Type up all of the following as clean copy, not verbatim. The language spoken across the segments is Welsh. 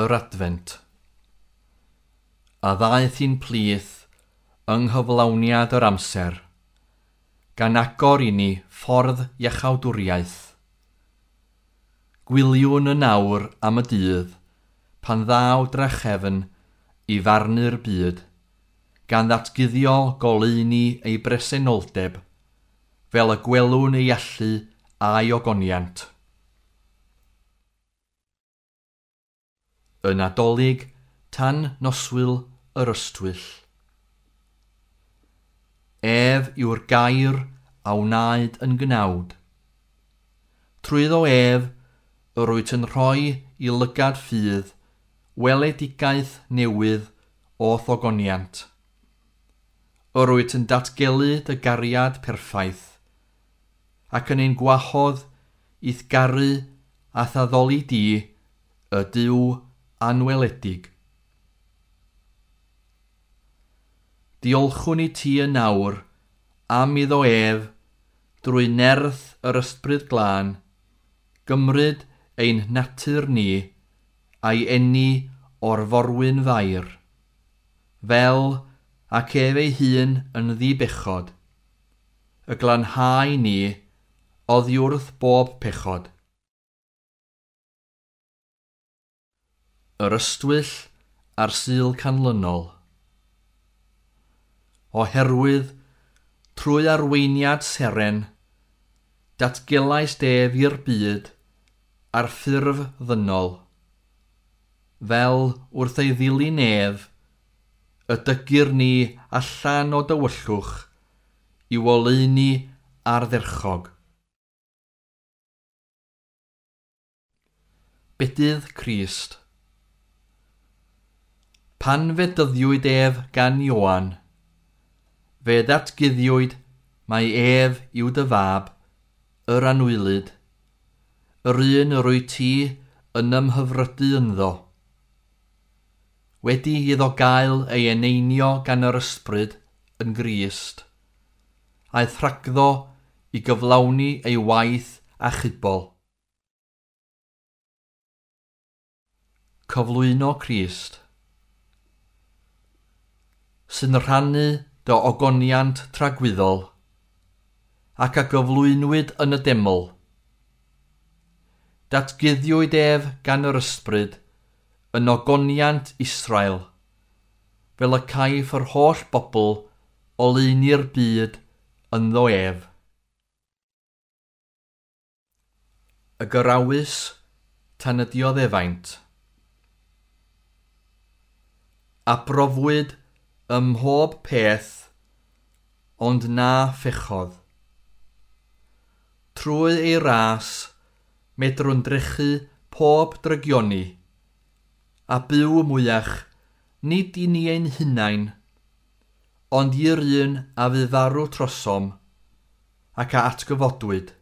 yr Adfent, a ddaeth i'n plith yng nghyflawniad yr amser, gan agor i ni ffordd iachawdwriaeth. Gwyliwn yn awr am y dydd pan ddaw drachefn i farnu'r byd, gan ddatguddio goleuni ei bresenoldeb, fel y gwelwn ei allu a'i ogoniant. Y Nadolig tan noswyl yr ystwyll. Ef yw'r gair a wnaed yn gnawd. Trwyddo ef, yr wyt yn rhoi i lygad ffydd weledigaeth newydd o ogoniant. Yr wyt yn datgelu dy gariad perffaith, ac yn ein gwahodd i'th garu a thaddoli di, y Duw anweledig. Diolchwn i ti yn awr am iddo ef, drwy nerth yr Ysbryd Glân, gymryd ein natur ni a'i eni o'r forwyn Fair, fel ac ef ei hun yn ddibechod, y glanhau ni oddi wrth bob pechod. Yr ystwyll a'r Sul canlynol. Oherwydd, trwy arweiniad seren, datgelais ef i'r byd ar ffurf ddynol, fel wrth ei ddilyn ef, y dygir ni allan o dywyllwch i'w oleuni ardderchog. Bedydd Crist. Pan fedyddiwyd ef gan Ioan, fe ddatguddiwyd mai ef yw dy fab, yr anwylyd, yr un yr wyt ti yn ymhyfrydu ynddo. Wedi iddo gael ei eneinio gan yr ysbryd yn Grist, aeth rhagddo i gyflawni ei waith achubol. Cyflwyno Crist, sy'n rhannu dy ogoniant tragwyddol, ac a gyflwynwyd yn y deml. Datguddiwyd ef gan yr ysbryd yn ogoniant Israel, fel y caiff yr holl bobl oleuni'r byd ynddo ef. Y gyrawys tan y dioddefaint. A brofwyd ym mhob peth, ond na phechodd. Trwy ei ras, medrwn drechu pob drygioni, a byw mwyach, nid i ni ein hunain, ond i'r un a fu farw trosom, ac a atgyfodwyd.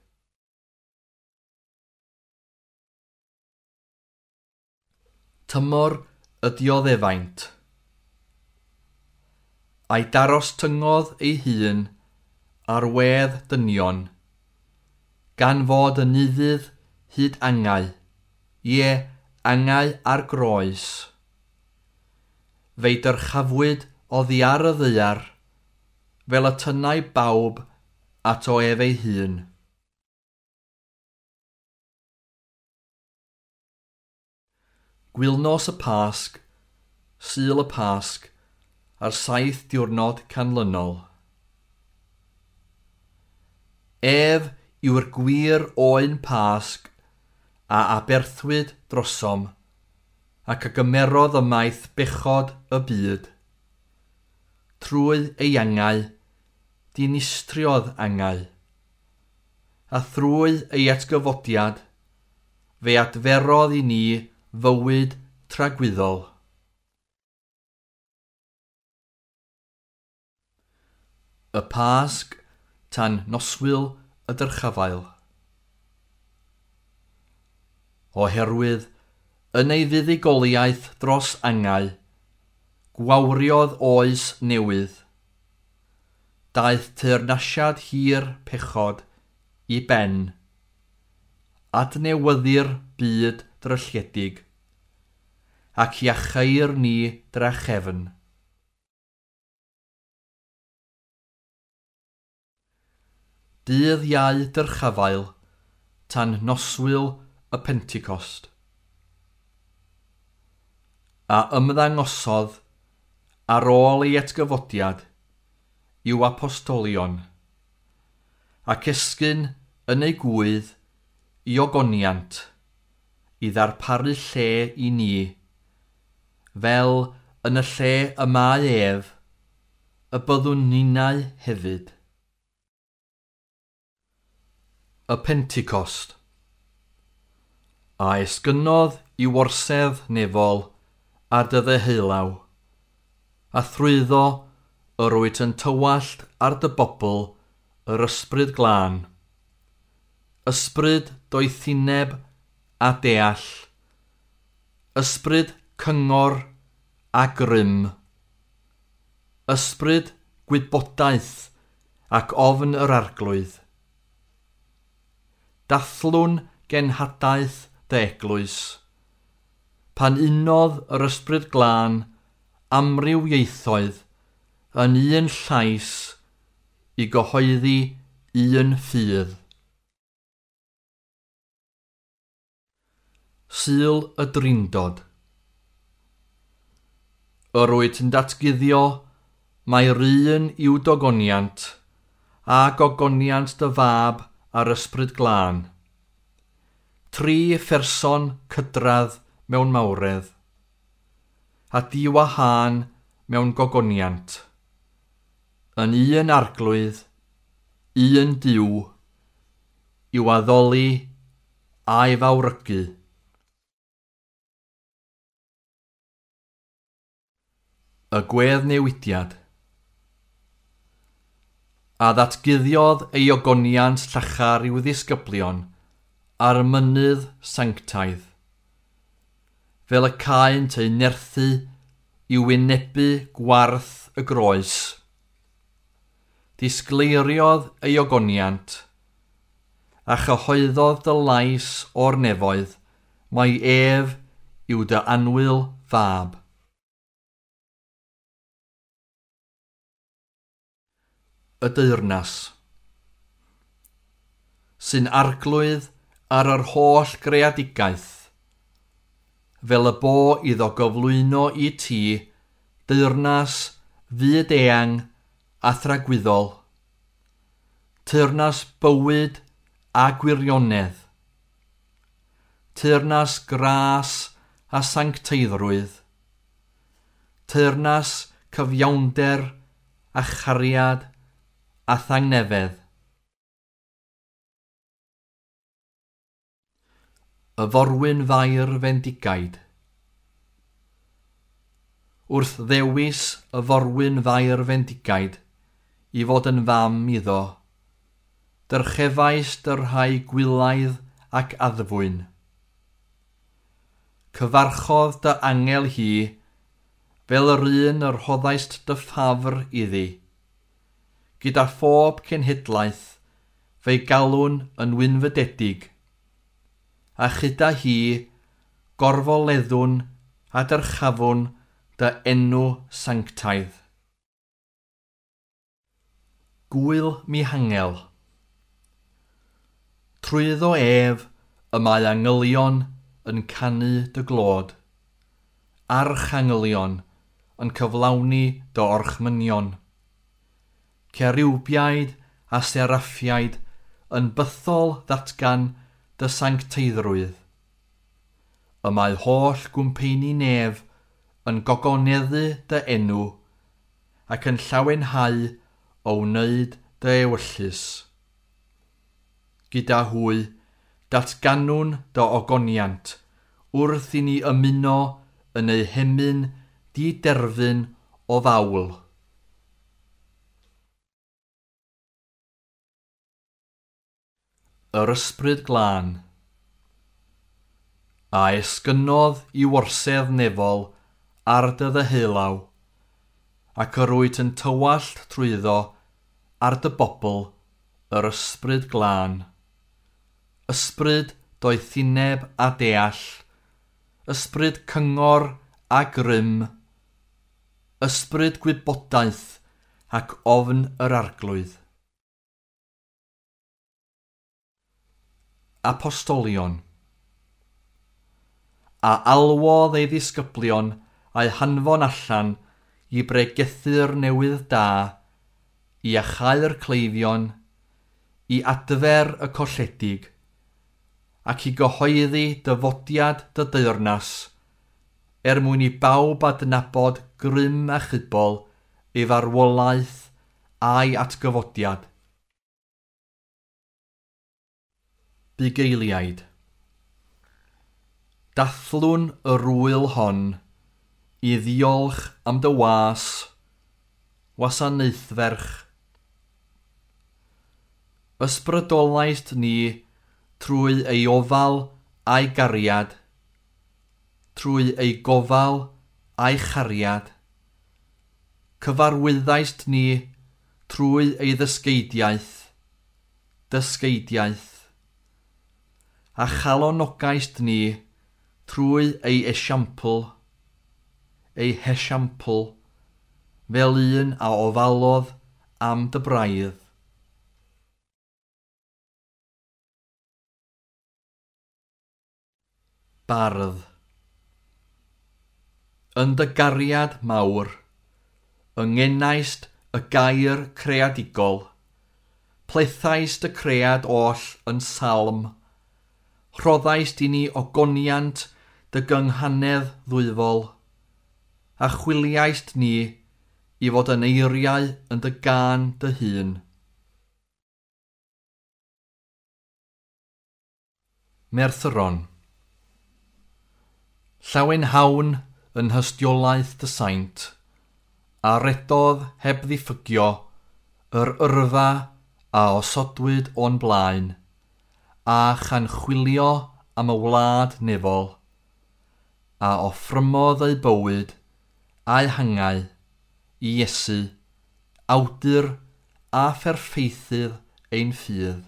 Tymor y dioddefaint. A'i daros tyngodd ei hun ar wedd dynion, gan fod yn ufudd hyd angau, ie, angau ar groes. Fe'i dyrchafwyd oddi ar y ddaear, fel y tynnai bawb ato ef ei hun. Gwylnos y Pasg, Sul y Pasg, a'r 7 diwrnod canlynol. Ef yw'r gwir oen Pasg a aberthwyd drosom, ac a gymerodd ymaith bechod y byd. Trwy ei angau, dinistriodd angau, a thrwy ei atgyfodiad, fe adferodd i ni fywyd tragwyddol. Y Pasg tan noswyl y dyrchafael. Oherwydd, yn ei fuddugoliaeth dros angau, gwawriodd oes newydd. Daeth teyrnasiad hir pechod i ben. Adnewyddu'r byd drylliedig, ac iacheir ni drachefn. Dydd Iau Dyrchafael tan noswyl y Pentecost. A ymddangosodd ar ôl ei atgyfodiad i'w apostolion, ac esgyn yn ei gwydd i ogoniant i ddarparu lle i ni, fel yn y lle y mae ef, y byddwn ninnau hefyd. Y Pentecost. A esgynnodd i orsedd nefol ar dy ddeheulaw, a thrwyddo yr wyt yn tywallt ar dy bobl yr ysbryd glân, ysbryd doethineb a deall, ysbryd cyngor a grym, ysbryd gwybodaeth ac ofn yr arglwydd. Dathlwn genhadaeth dy eglwys, pan unodd yr ysbryd glân amryw ieithoedd yn un llais i gyhoeddi un ffydd. Sul y Drindod. Yr wyt yn datguddio mai'r un yw dogoniant a gogoniant dy fab a'r ysbryd glân. Tri pherson cydradd mewn mawredd, a diwahân mewn gogoniant. Yn un arglwydd, un Duw, i'w addoli a'i fawrygu. Y gweddnewidiad. A ddatguddiodd ei ogoniant llachar i'w ddisgyblion ar y mynydd sanctaidd, fel y caent eu nerthu i wynebu gwarth y groes. Disgleiriodd ei ogoniant, a chyhoeddodd dy lais o'r nefoedd, mai ef yw dy annwyl fab. Y deyrnas, sy'n arglwydd ar yr holl greadigaeth, fel y bo iddo gyflwyno i ti deyrnas fyd-eang a thragwyddol, teyrnas bywyd a gwirionedd, teyrnas gras a sancteiddrwydd, teyrnas cyfiawnder a chariad a thangnefedd. Y forwyn Fair fendigaid. Wrth ddewis y forwyn Fair fendigaid i fod yn fam iddo, dyrchefais dy rhai gwylaidd ac addfwyn. Cyfarchodd dy angel hi, fel yr un yr rhoddaist dy ffafr iddi. Gyda phob cenhedlaeth, fe'i galwn yn wynfydedig, a chyda hi gorfoleddwn a dyrchafwn dy enw sanctaidd. Gwyl Mihangel. Trwyddo ef y mae angylion yn canu dy glod, archangylion yn cyflawni dy orchmynion. Ceriwbiaid a seraffiaid yn bythol ddatgan dy sancteiddrwydd. Y mae holl gwmpeini nef yn gogoneddu dy enw ac yn llawenhau o wneud dy ewyllys. Gyda hwy, datganwn dy ogoniant wrth i ni ymuno yn eu hemyn diderfyn o fawl. Yr ysbryd glân. A esgynnodd i orsedd nefol ar dy ddeheulaw, ac yr wyt yn tywallt trwyddo ar dy bobl yr ysbryd glân. Ysbryd doethineb a deall, ysbryd cyngor a grym, ysbryd gwybodaeth ac ofn yr Arglwydd. Apostolion. A alwodd ei ddisgyblion a'i hanfon allan i bregethu'r newydd da, i achau'r cleifion, i adfer y colledig, ac i gyhoeddi dyfodiad dy deyrnas, er mwyn i bawb adnabod grym achubol ei farwolaeth a'i atgyfodiad. Bugeiliaid. Dathlwn yr ŵyl hon i ddiolch am dy was, wasanaethferch. Ysbrydolaist ni trwy ei ofal a'i gariad, trwy ei gofal a'i chariad. Cyfarwyddaist ni trwy ei ddysgeidiaeth, dysgeidiaeth. A chalonogaist ni trwy ei esiampl, ei hesiampl, fel un a ofalodd am dy braidd. Bardd. Yn dy gariad mawr, yngenaist y gair creadigol, plethaist y cread oll yn salm, rhoddaist i ni ogoniant dy gynghanedd ddwyfol, a chwiliaist ni i fod yn eiriau yn dy gân dy hun. Merthyron. Llawenhawn yn hystiolaeth dy saint, a redodd heb ddiffygio yr yrfa a osodwyd o'n blaen, a chan chwilio am y wlad nefol, a offrymodd ei bywyd a'i hangau i Iesu, awdur a pherffeithydd ein ffydd.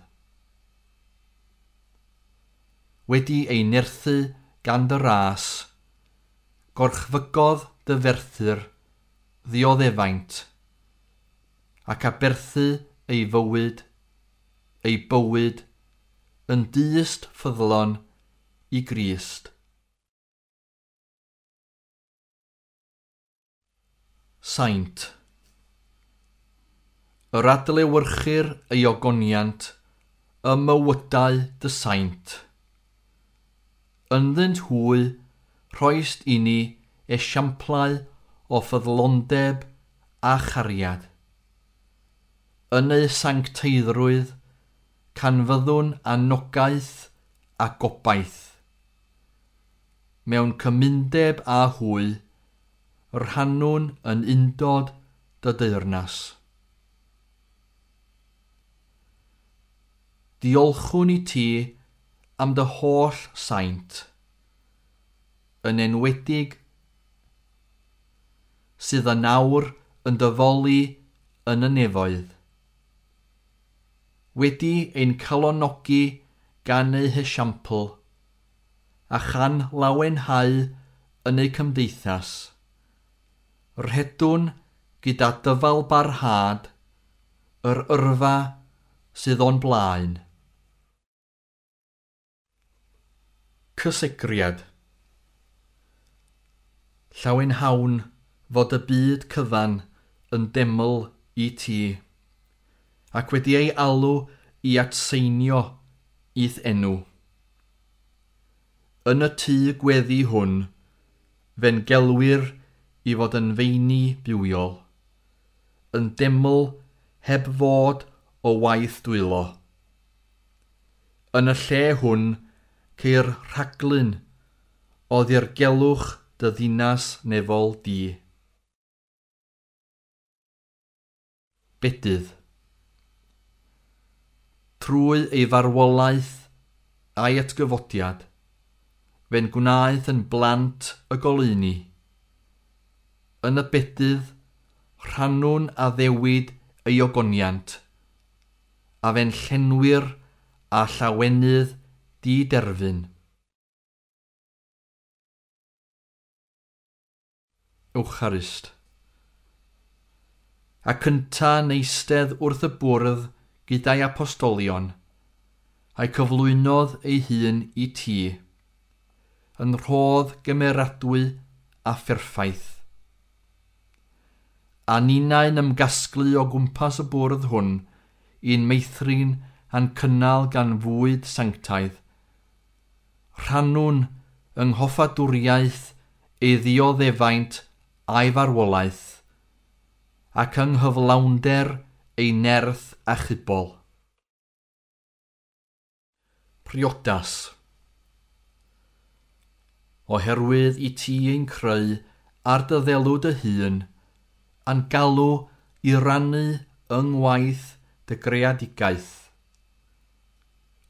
Wedi ei nerthu gan dy ras, gorchfygodd dy ferthyr ddioddefaint, ac aberthu ei fywyd, yn dyst ffyddlon i Grist. Saint. Yr adlewyrchir ei ogoniant ym mywydau dy saint. Ynddynt hwy rhoist i ni esiamplau o ffyddlondeb a chariad. Yn eu sancteiddrwydd, canfyddwn anogaeth a gobaith. Mewn cymundeb â hwy, rhannwn yn undod dy deyrnas. Diolchwn i ti am dy holl saint, yn enwedig sydd yn awr yn dyfoli yn y nefoedd. Wedi ein calonogi gan eu hesiampl, a chan lawenhau yn eu cymdeithas, rhedwn gyda dyfal barhad yr yrfa sydd o'n blaen. Cysegriad. Llawenhawn fod y byd cyfan yn deml i ti, ac wedi ei alw i atseinio i'th enw. Yn y tŷ gweddi hwn, fe'n gelwir i fod yn feini bywiol, yn deml heb fod o waith dwylo. Yn y lle hwn ceir rhaglun o ddirgelwch dy ddinas nefol di. Bedydd. Trwy ei farwolaeth a'i atgyfodiad, fe'n gwnaeth yn blant y goleuni. Yn y bedydd, rhannwn addewid ei ogoniant, a fe'n llenwir a llawenydd diderfyn. Ewcharist. Ac ynta'n eistedd wrth y bwrdd gyda'i apostolion, a'i cyflwynodd ei hun i ti, yn rhodd gymeradwy a pherffaith. A ninnau'n ymgasglu o gwmpas y bwrdd hwn i'n meithrin a'n cynnal gan fwyd sanctaidd. Rhannwn yng nghoffadwriaeth ei ddioddefaint a'i farwolaeth, ac yng nghyflawnder ei nerth achubol. Priodas. Oherwydd i ti ein creu ar dy ddelw dy hun, a'n galw i rannu yng ngwaith dy greadigaeth.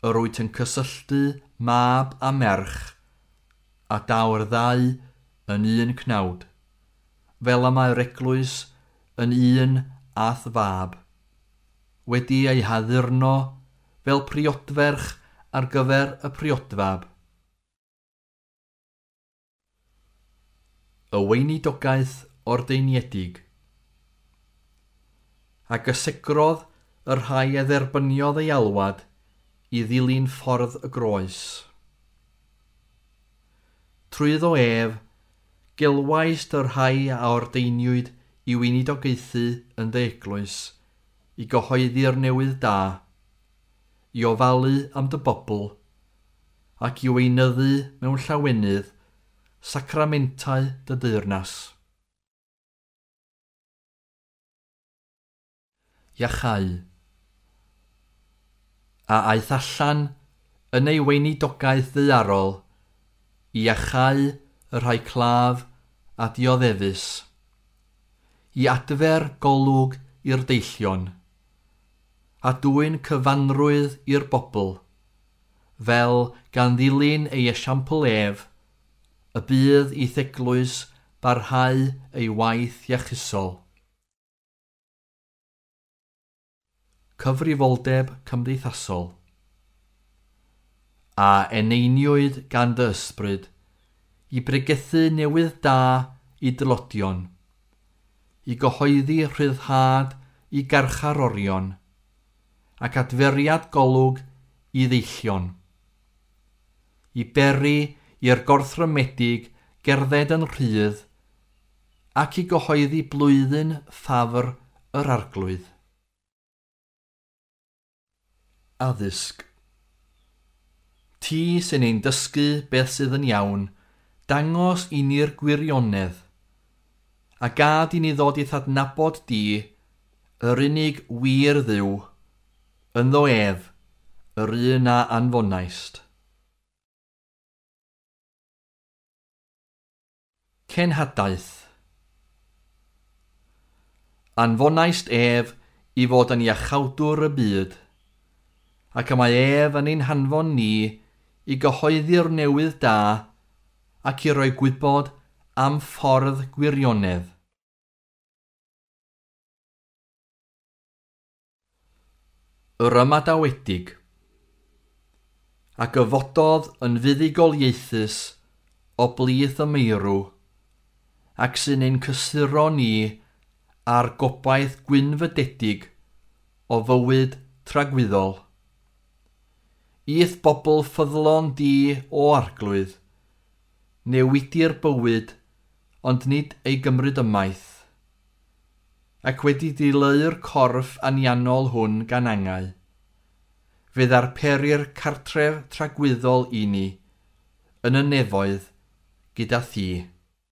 Yr wyt yn cysylltu mab a merch, a daw'r ddau yn un cnawd, fel y mae'r eglwys yn un a'th fab, wedi ei haddurno fel priodferch ar gyfer y priodfab. Y weinidogaeth ordeiniedig. A gysegrodd y rhai a dderbyniodd ei alwad i ddilyn ffordd y groes. Trwyddo ef, gelwaist y rhai a ordeiniwyd i weinidogaethu yn dy eglwys, i gyhoeddi'r newydd da, i ofalu am dy bobl, ac i weinyddu mewn llawenydd sacramentau dy deyrnas. Iachau. A aeth allan yn ei weinidogaeth ddaearol i iachau y rhai claf a dioddefus, i adfer golwg i'r deillion, a dwyn cyfanrwydd i'r bobl, fel gan ddilyn ei esiampl ef, y bydd i'th eglwys barhau ei waith iachusol. Cyfrifoldeb cymdeithasol. A eneiniwyd gan dy ysbryd i bregethu newydd da i dylodion, i gyhoeddi rhyddhad i garcharorion, ac adferiad golwg i ddeillion, i beri i'r gorthrymedig gerdded yn rhydd, ac i gyhoeddi blwyddyn ffafr yr Arglwydd. Addysg. Ti sy'n ein dysgu beth sydd yn iawn, dangos i ni'r gwirionedd, a gad i ni ddod i'th adnabod di, yr unig wir Dduw, ynddo ef, yr un a anfonaist. Cenhadaeth. Anfonaist ef i fod yn iachawdwr y byd, ac y mae ef yn ein hanfon ni i gyhoeddi'r newydd da ac i roi gwybod am ffordd gwirionedd. Yr ymadawedig. A gyfododd yn fuddugoliaethus o blith y meirw, ac sy'n ein cysuro ni ar gobaith gwynfydedig o fywyd tragwyddol. I'th bobl ffyddlon di o Arglwydd, newidi'r bywyd, ond nid ei gymryd ymaith, ac wedi dileu'r corff anianol hwn gan angau, fe ddarperir cartref tragwyddol i ni, yn y nefoedd, gyda thi.